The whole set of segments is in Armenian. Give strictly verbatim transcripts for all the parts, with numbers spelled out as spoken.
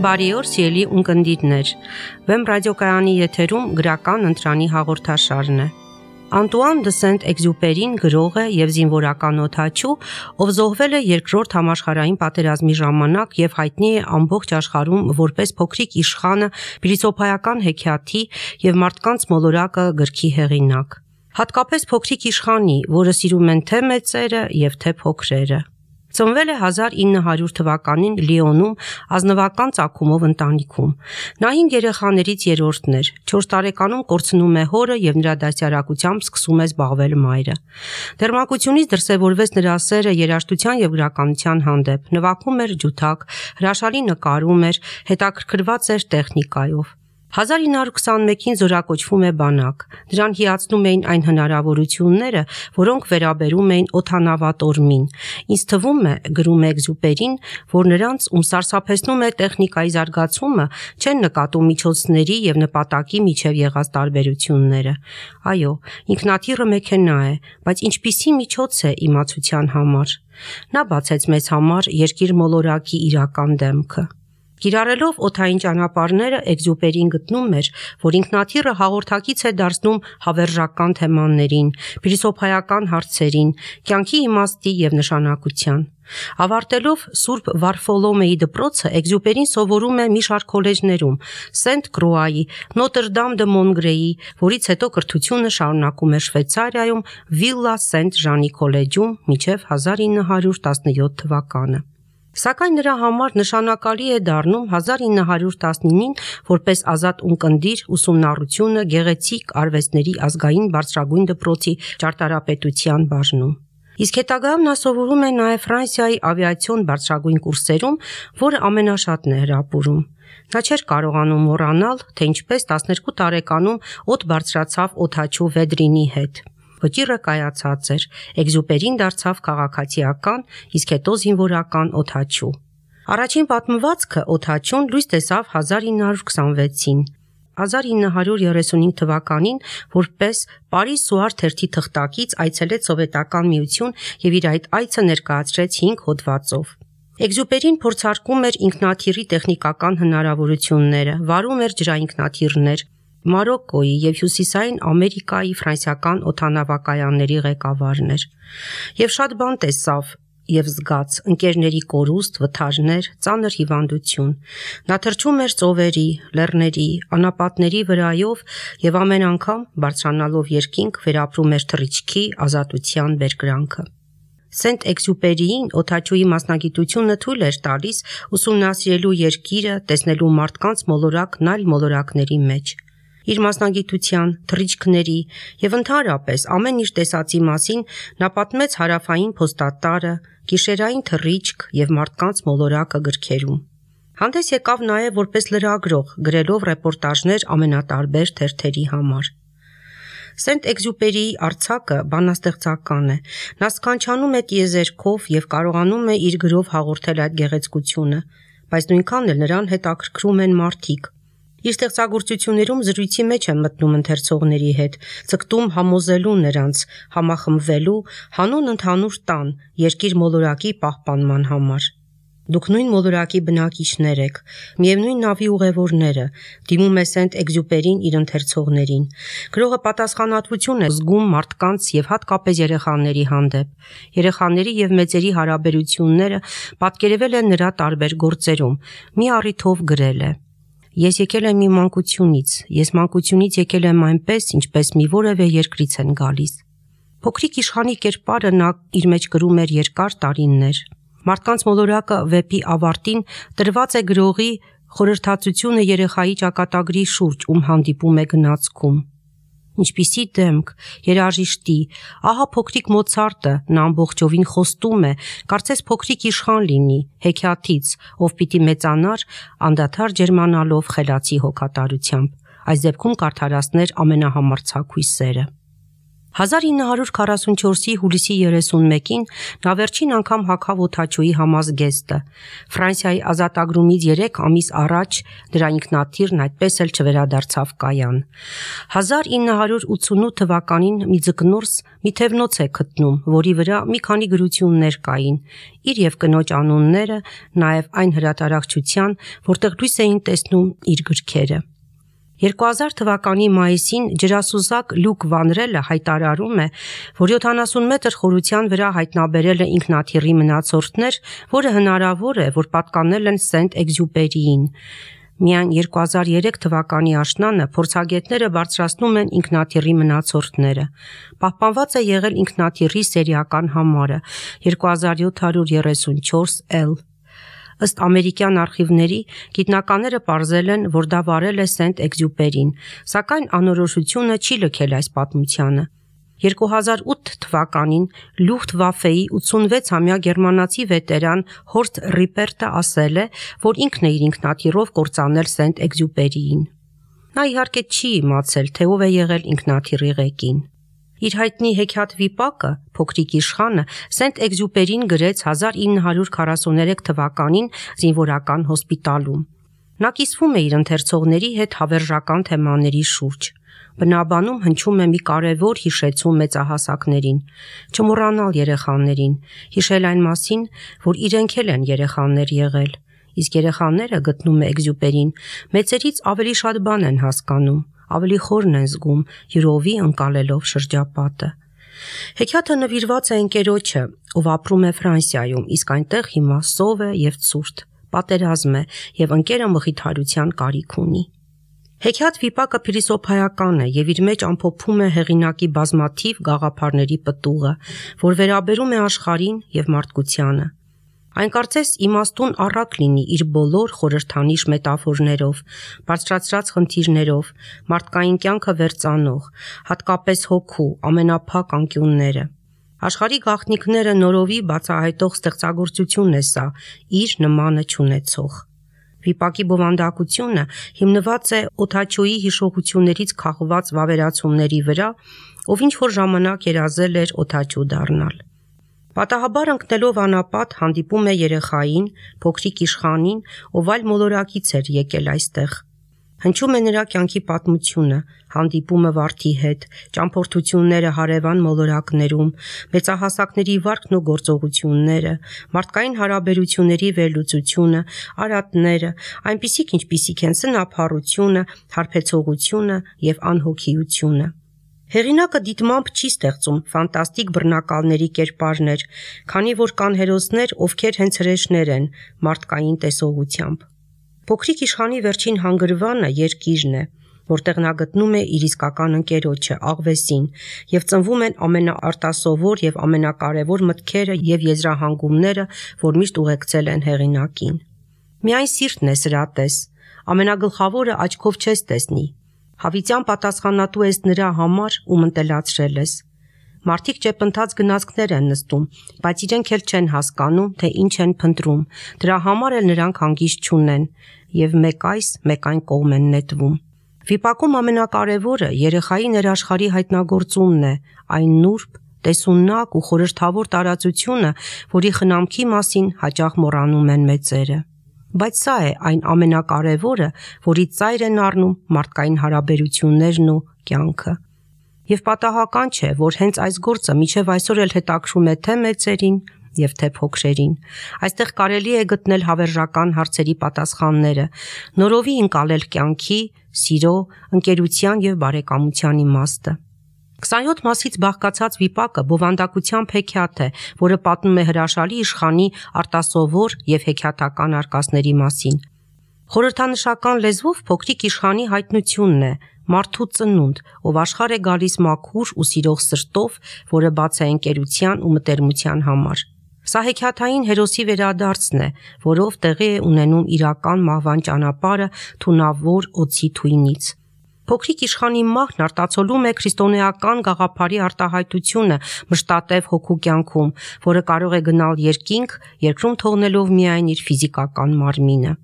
Բարի օր, սիրելի ունկնդիրներ։ Վեմ ռադիոկայանի եթերում գրական ընտրանի հաղորդաշարն է։ Անտուան դը Սենտ-Էքզյուպերին գրող է եւ զինվորական օդաչու, ով զոհվել է Երկրորդ համաշխարհային պատերազմի ժամանակ եւ հայտնի է ամբողջ աշխարհում որպես փոքրիկ իշխանը, փիլիսոփայական հեքիաթի եւ մարդկանց մոլորակը գրքի հեղինակ։ Հատկապես փոքրիկ իշխանի, որը սիրում են թե մեծերը եւ թե փոքրերը։ Ծնվել է հազար ինը հարյուր թվականին Լիոնում ազնվական ծագումով ընտանիքում։ Նա հինգ երեխաներից երրորդն էր։ չորս տարեկանում կորցնում է հորը եւ նրա դաստիարակությամբ սկսում է զբաղվել մայրը։ Դեռմանկությունից դրսևորվեց նրա սերը երաժշտության եւ գրականության հանդեպ։ Նվագում էր ջութակ, հրաշալի նկարում էր, հետաքրքրված էր տեխնիկայով։ հազար ինը հարյուր քսանմեկին զորակոչվում է բանակ։ Դրան հիացնում էին այն հնարավորությունները, որոնք վերաբերում էին օդանավատորմին։ Ինձ թվում է, գրում է Էքզյուպերին, որ նրանց, ում սարսափեցնում է տեխնիկայի զարգացումը, չեն նկատում միջոցների եւ նպատակի միջև եղած տարբերությունները։ Այո, ինքնաթիռը մեքենա է, բայց ինչպիսի միջոց է իմացության համար։ Նա բացեց մեզ համար երկիր մոլորակի իրական դեմքը։ Կիրառելով օդային ճանապարհները Էքզյուպերին գտնում էր, որ ինքնաթիռը հաղորդակից է դարձնում հավերժական թեմաներին, փիլիսոփայական հարցերին, կյանքի իմաստի եւ նշանակության։ Ավարտելով Սուրբ Վարֆոլոմեի դպրոցը Էքզյուպերին սովորում է մի շարք քոլեջներում՝ Սենտ Կրուայի, Նոտր Դամ դը Մոնգրեի, որից հետո կրթությունը շարունակում է Շվեյցարիայում Վիլլա Սենտ Ժանի քոլեջում մինչև հազար ինը հարյուր տասնյոթ թվականը։ Սակայն նրա համար նշանակալի է դառնում հազար ինը հարյուր տասնինին որպես ազատ ունկնդիր ուսումնառությունը գեղեցիկ արվեստների ազգային բարձրագույն դպրոցի ճարտարապետության բաժնում։ Իսկ հետագայում նա սովորում է նաև Ֆրանսիայի ավիացիոն բարձրագույն կուրսերում, որը ամենաշատն է հրապուրում։ Նա չէր կարողանում մոռանալ, թե ինչպես տասներկու տարեկանում օդ բարձրացավ օդաչու Վեդրինի հետ։ Վճիռը կայացած էր, Էքզյուպերին դարձավ քաղաքացիական, իսկ հետո զինվորական օդաչու։ Առաջին պատմվածքը օդաչուն լույս տեսավ հազար ինը հարյուր քսանվեցին։ հազար ինը հարյուր երեսունհինգ թվականին որպես Պարիս Սուար թերթի թղթակից այցելեց Սովետական Միություն եւ իր այդ այցը ներկայացրեց հինգ հոդվածով։ Էքզյուպերին փորձարկում էր ինքնաթիռի տեխնիկական հնարավորությունները, վարում էր ջրայինքնաթիռներ, Մարոկկոյի եւ Հյուսիսային Ամերիկայի ֆրանսիական օդանավակայանների ղեկավարն էր։ Եվ շատ բան տեսավ եւ զգաց՝ ընկերների կորուստ, վթարներ, ծանր հիվանդություն։ Նա թռչում էր ծովերի, լեռների, անապատների վրայով եւ ամեն անգամ բարձրանալով երկինք վերապրում էր թռիչքի, ազատության բերկրանքը։ Սենտ-Էքզյուպերիին օդաչուի մասնագիտությունը թույլ էր տալիս ուսումնասիրելու երկիրը, տեսնելու մարդկանց մոլորակն այլ մոլորակների մեջ։ Իր մասնագիտության, թռիչքների եւ ընդհանրապես ամեն ինչ տեսածի մասին նա պատմեց Հարավային փոստատարը, Գիշերային թռիչք եւ մարդկանց մոլորակը գրքերում։ Հանդես եկավ նաեւ որպես լրագրող, գրելով ռեպորտաժներ ամենատարբեր թերթերի համար։ Սենտ-Էքզյուպերիի արձակը բանաստեղծական է։ Նա սքանչանում է տիեզերքով եւ կարողանում է իր գրով հաղորդել այդ գեղեցկությունը, բայց նույնքան էլ նրան հետաքրքրում են մարդիկ։ Իր ստեղծագործություններում զրույցի մեջ է մտնում ընթերցողների հետ, ցկտում համոզելու նրանց, համախմբվելու, հանուն ընդհանուր տան, երկիր մոլորակի պահպանման համար։ Դուք նույն մոլորակի բնակիչներ եք, միևնույն նավի ուղևորները, դիմում է Սենտ-Էքզյուպերին իր ընթերցողներին։ Գրողը պատասխանատվություն է զգում մարդկանց եւ հատկապես երեխաների հանդեպ։ Երեխաների եւ մեծերի հարաբերությունները պատկերվել են նրա տարբեր գործերում։ Մի առիթով գրել է. Ես եկել եմ մի մանկությունից, ես մանկությունից եկել եմ այնպես, ինչպես մի որևէ երկրից են գալիս։ Փոքրիկ իշխանի կերպարը նա իր մեջ գրում էր երկար տարիներ։ Մարդկանց մոլորակը վեպի ավարտին տրված է գրողի խորհրդածությունը երեխայի ճակատագրի շուրջ, ում հանդիպում է գնացքում։ Ինչպիսի դեմք, երաժիշտի, ահա փոքրիկ Մոցարտը, նա ամբողջովին խոստում է, կարծես փոքրիկ իշխան լինի, հեքիաթից, ով պիտի մեծանար, անդադար ջերմանալով խելացի հոգատարությամբ, այս դեպքում կարդարացներ ամենահամարձակ հույսերը։ հազար ինը հարյուր քառասունչորսի հուլիսի երեսունմեկին նա վերջին անգամ հագավ օդաչուի համազգեստը։ Ֆրանսիայի ազատագրումից երեք ամիս առաջ դրա ինքնաթիռն այդպես էլ չվերադարձավ կայան։ հազար ինը հարյուր ութսունութ թվականին մի ձկնորս մի թևնոց է գտնում, որի վրա մի քանի գրություններ կային, իր եւ կնոջ անունները, նաեւ այն հրատարակչության, որտեղ լույս էին տեսնում իր գրքերը։ երկու հազար թվականի մայիսին ջրասուզակ Լյուկ Վանրելը հայտարարում է, որ յոթանասուն մետր խորության վրա հայտնաբերել է ինքնաթիռի մնացորդներ, որը հնարավոր է, որ պատկանել են Սենտ Էքզյուպերիին։ Միայն երկու հազար երեք թվականի աշնանը փորձագետները բարձրացնում են ինքնաթիռի մնացորդները։ Պահպանված է եղել ինքնաթիռի սերիական համարը երկու հազար յոթ հարյուր երեսունչորս L։ Ըստ ամերիկյան արխիվների, գիտնականները պարզել են, որ դա վարել է Սենտ Էքզյուպերին, սակայն անորոշությունը չի լքել այս պատմությանը։ երկու հազար ութ թվականին Լյուֆթվաֆեի ութսունվեցամյա գերմանացի վետերան Հորստ Ռիպերտը ասել է, որ ինքն է իր ինքնաթիռով կործանել Սենտ Էքզյուպերիին։ Նա իհարկե չի իմացել, թե ով է եղել ինքնաթիռի ղեկին։ Իր հայտնի հեքիաթ վիպակը, Փոքրիկ իշխանը, Սենտ Էքզյուպերին գրեց հազար ինը հարյուր քառասուներեք թվականին զինվորական հոսպիտալում։ Նա կիսվում է իր ընթերցողների հետ հավերժական թեմաների շուրջ։ Բնաբանում հնչում է մի կարևոր հիշեցում մեծահասակներին, չմոռանալ երեխաներին, հիշել այն մասին, որ իրենք էլ են երեխաներ եղել, իսկ երեխաները, գտնում է Էքզյուպերին, մեծերից ավելի շատ բան են հասկանում, ավելի խորն են զգում, յուրովի ընկալելով շրջապատը։ Հեքիաթը նվիրված է ընկերոջը, ով ապրում է Ֆրանսիայում, իսկ այնտեղ հիմա սով է եւ ցուրտ, պատերազմ է եւ ընկերը մխիթարության կարիք ունի։ Հեքիաթ վիպակը փիլիսոփայական է եւ իր մեջ ամփոփում է հեղինակի բազմաթիվ գաղափարների պտուղը, որ վերաբերում է աշխարհին եւ մարդկությանը։ Այն կարծես իմաստուն առակ լինի իր բոլոր խորհրդանիշ մետաֆորներով, բարձրացրած խնդիրներով, մարդկային կյանքը վերծանող, հատկապես հոգու ամենափակ անկյունները։ Աշխարհի գաղտնիքները նորովի բացահայտող ստեղծագործություն է սա, իր նմանը չունեցող։ Վիպակի բովանդակությունը հիմնված է օդաչուի հիշողություններից քաղված վավերացումների վրա, ով ինչ-որ ժամանակ երազել էր օդաչու դառնալ։ Պատահաբար ընկնելով անապատ հանդիպում է երեխային, փոքրիկ իշխանին, ով այլ մոլորակից էր եկել այստեղ։ Հնչում է նրա կյանքի պատմությունը, հանդիպումը վարդի հետ, ճամփորդությունները հարևան մոլորակներում, մեծահասակների վարքն ու գործողությունները, մարդկային հարաբերությունների վերլուծությունը, արատները, այնպիսիք ինչպիսիք են սնափառությունը, հարբեցողությունը եւ անհոգիությունը։ Հեղինակը դիտմամբ չի ստեղծում ֆանտաստիկ բռնակալների կերպարներ, քանի որ կան հերոսներ, ովքեր հենց հրեշներ են մարդկային տեսողությամբ։ Փոքրիկ իշխանի վերջին հանգրվանը երկիրն է, որտեղ նա գտնում է իր իսկական ընկերոջը, աղվեսին, եւ ծնվում են ամենաարտասովոր եւ ամենակարևոր մտքերը եւ եզրահանգումները, որ միշտ ուղեկցել են հեղինակին։ Միայն սիրտն է սրատես, ամենագլխավորը աչքով չես տեսնի։ Հավիտյան պատասխանատու ես նրա համար, ում ընտելացրել ես։ Մարդիկ ճեպընթաց գնացքներ են նստում, բայց իրենք էլ չեն հասկանում, թե ինչ են փնտրում, դրա համար էլ նրանք հանգիստ չունեն, եւ մեկ այս, մեկ այն կողմ են նետվում։ Վիպակում ամենակարևորը երեխայի ներաշխարհի հայտնագործումն է, այն նուրբ, տեսունակ ու խորհրդավոր տարածությունը, որի խնամքի մասին հաճախ մոռանում են մեծերը։ Բայց սա է այն ամենակարևորը, որից ծայր են առնում մարդկային հարաբերություններն ու կյանքը։ Եվ պատահական չէ, որ հենց այս գործը մինչև այսօր էլ հետաքրում է թե մեծերին եւ թե փոքրերին։ Այստեղ կարելի է գտնել հավերժական հարցերի պատասխանները, նորովի ընկալել կյանքի, սիրո, ընկերության եւ բարեկամության իմաստը։ քսանյոթ մասից բաղկացած վիպակը բովանդակությամբ հեքիաթ է, որը պատմում է հրաշալի իշխանի արտասովոր եւ հեքիաթական արկածների մասին։ Խորհրդանշական լեզվով փոքրիկ իշխանի հայտնությունն է, մարդու ծնունդ, ով աշխարհ է գալիս մաքուր ու սիրող սրտով, որը բաց է ընկերության ու մտերմության համար։ Սա հեքիաթային հերոսի վերադարձն է, որով տեղի է ունենում իրական մահվան ճանապարհը թունավոր օձի թույնից։ Փոքրիկ իշխանի մահն արտացոլում է քրիստոնեական գաղափարի արտահայտությունը մշտատև հոգու կյանքում, որը կարող է գնալ երկինք, երկրում թողնելով միայն իր ֆիզիկական մարմինը։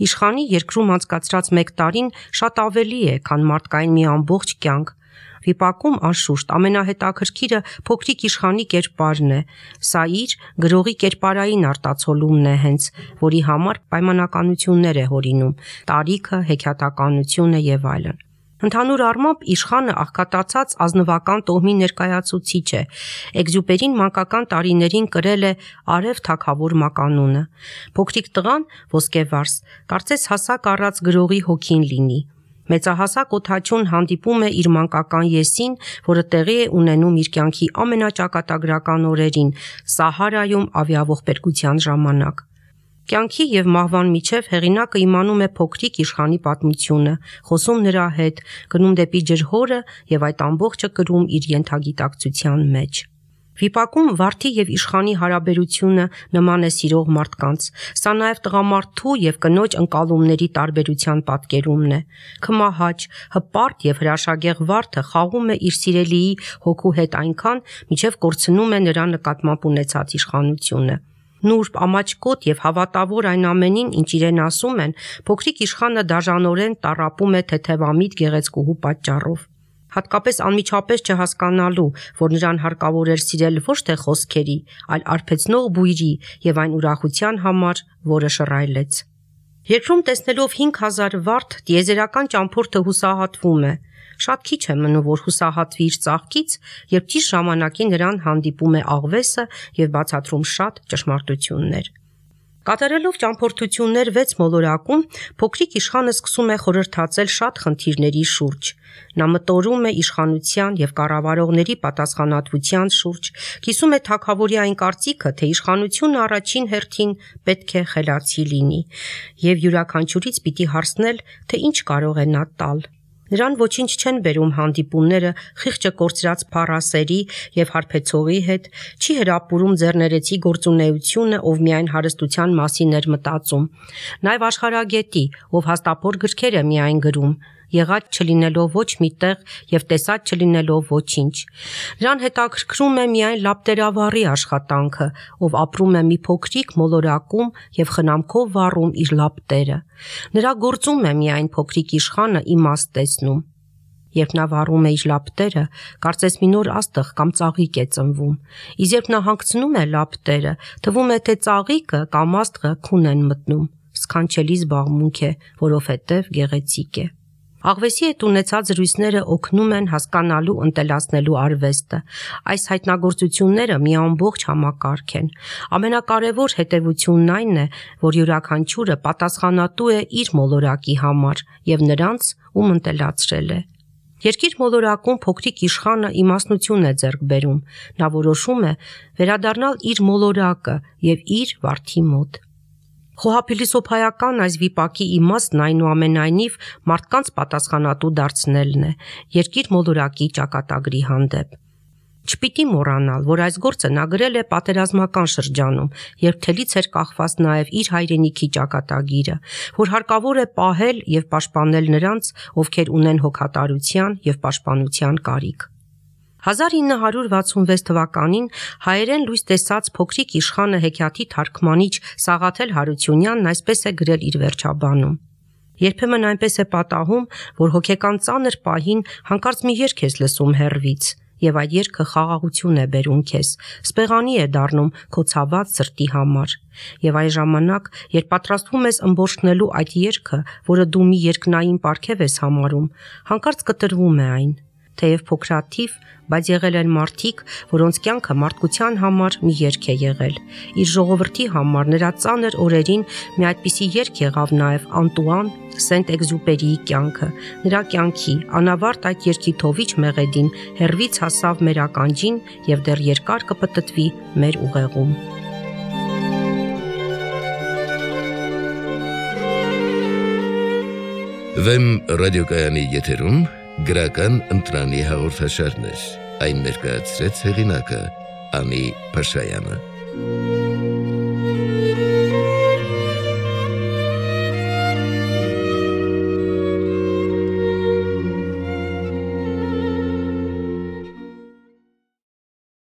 Իշխանի երկրում անցկացրած մեկ տարին շատ ավելի է, քան մարդկային մի ամբողջ կյանք։ Վիպակում անշուշտ ամենահետաքրքիրը փոքրիկ իշխանի կերպարն է, սա իր գրողի կերպարային արտացոլումն է հենց, որի համար պայմանականություններ է հորինում, տարիքը, հեքիաթականությունը եւ այլն։ Ընդհանուր առմամբ իշխանը աղքատացած ազնվական տոհմի ներկայացուցիչ է։ Էքզյուպերին մանկական տարիներին կրել է արև թագավոր մականունը։ Փոքրիկ տղան ոսկեվարս, կարծես հասակ առած գրողի հոգին լինի։ Մեծահասակ օդաչուն հանդիպում է իր մանկական եսին, որը տեղի է ունենում իր կյանքի ամենաճակատագրական օրերին՝ Սահարայում ավիաողբերգության ժամանակ։ Կյանքի եւ մահվան միջև հեղինակը իմանում է փոքրիկ իշխանի պատմությունը, խոսում նրա հետ, գնում դեպի ջրհորը եւ այդ ամբողջը կրում իր ենթագիտակցության մեջ։ Վիպակում վարդի եւ իշխանի հարաբերությունը նման է սիրող մարդկանց։ Սա նաեւ տղամարդու եւ կնոջ ընկալումների տարբերության պատկերումն է։ Քմահաճ, հպարտ եւ հրաշագեղ վարդը խաղում է իր սիրելիի հոգու հետ այնքան, մինչեւ կորցնում է նրա նկատմամբ ունեցած իշխանությունը։ Նուրբ, ամաչկոտ եւ հավատավոր այն ամենին, ինչ իրեն ասում են, փոքրիկ իշխանը դաժանորեն տառապում է թեթևամիտ գեղեցկուհու պատճառով։ Հատկապես անմիջապես չհասկանալու, որ նրան հարկավոր էր սիրել ոչ թե խոսքերի, այլ արբեցնող բույրի եւ այն ուրախության համար, որը շռայլեց։ Երկրում տեսնելով հինգ հազար վարդ, տիեզերական ճամփորդը հուսահատվում է։ Շատ քիչ է մնում, որ հուսահատվի իր ծաղկից, երբ ճիշտ ժամանակին նրան հանդիպում է աղվեսը եւ բացատրում շատ ճշմարտություններ։ Կատարելով ճամփորդություններ վեց մոլորակում, փոքրիկ իշխանը սկսում է խորհրդածել շատ խնդիրների շուրջ։ Նա մտորում է իշխանության եւ կառավարողների պատասխանատվության շուրջ, կիսում է թագավորի այն կարծիքը, թե իշխանությունը առաջին հերթին պետք է խելացի լինի, եւ յուրաքանչյուրից պիտի հարցնել, թե ինչ կարող է նա տալ։ Նրան ոչինչ չեն բերում հանդիպումները խիղճը կորցրած փառասերի եւ հարբեցողի հետ, չի հրապուրում ձեռներեցի գործունեությունը, ով միայն հարստության մասին էր մտածում, նաեւ աշխարհագետի, ով հաստափոր գրքեր է միայն գրում, եղած չլինելով ոչ մի տեղ եւ տեսած չլինելով ոչինչ։ Նրան հետաքրքրում է միայն լապտերավառի աշխատանքը, ով ապրում է մի փոքրիկ մոլորակում եւ խնամքով վառում իր լապտերը։ Նրա գործում է միայն փոքրիկ իշխանը իմաստ տեսնում։ Երբ նա վառում է իր լապտերը, կարծես մի նոր աստղ կամ ծաղիկ է ծնվում, իսկ երբ նա հանգցնում է լապտերը, թվում է, թե ծաղիկը կամ աստղը քուն են մտնում։ Սքանչելի զբաղմունք է, որովհետեւ գեղեցիկ է։ Աղվեսի հետ ունեցած զրույցները օգնում են հասկանալու ընտելացնելու արվեստը։ Այս հայտնագործությունները մի ամբողջ համակարգ են։ Ամենակարևոր հետևությունն այն է, որ յուրաքանչյուրը պատասխանատու է իր մոլորակի համար եւ նրանց, ում ընտելացրել է։ Երկիր մոլորակում փոքրիկ իշխանը իմաստնություն է ձեռք բերում։ Նա որոշում է վերադառնալ իր մոլորակը եւ իր վարդի մոտ։ Խոհափիլիսոփայական այս վիպակի իմաստն այնուամենայնիվ մարդկանց պատասխանատու դարձնելն է երկիր մոլորակի ճակատագրի հանդեպ։ Չպիտի մոռանալ, որ այս գործը նա գրել է պատերազմական շրջանում, երբ թելից էր կախված նաև իր հայրենիքի ճակատագիրը, որ հարկավոր է պահել եւ պաշտպանել նրանց, ովքեր ունեն հոգատարության եւ պաշտպանության կարիք։ հազար ինը հարյուր վաթսունվեց թվականին հայերեն լույս տեսած փոքրիկ իշխանը հեքիաթի թարգմանիչ Սաղաթել Հարությունյանն այսպես է գրել իր վերջաբանում. Երբեմն այնպես է պատահում, որ հոգեկան ծանր պահին հանկարծ մի երգ ես լսում հեռվից, եւ այդ երգը խաղաղություն է բերում քեզ, սպեղանի է դառնում քո ցաված սրտի համար։ Եվ այն ժամանակ, երբ պատրաստվում ես ըմբոշխնելու այդ երգը, որը դու մի երկնային պարգև ես համարում, հանկարծ կտրվում է այն։ Թեև փոքրաթիվ, բայց եղել են մարդիկ, որոնց կյանքը մարդկության համար մի երգ է եղել։ Իր ժողովրդի համար նրա ծանր օրերին մի այդպիսի երգ եղավ նաև Անտուան Սենտ-Էքզյուպերիի կյանքը։ Նրա կյանքի անավարտ այդ երգի թովիչ մեղեդին հեռվից հասավ մեր ականջին եւ դեռ երկար կպտտվի մեր ուղեղում։ Վեմ ռադիոկայանի եթերում գրական ընտրանի հաղորդաշարներ, այն ներկայացրեց հեղինակը Անի Փաշայանը։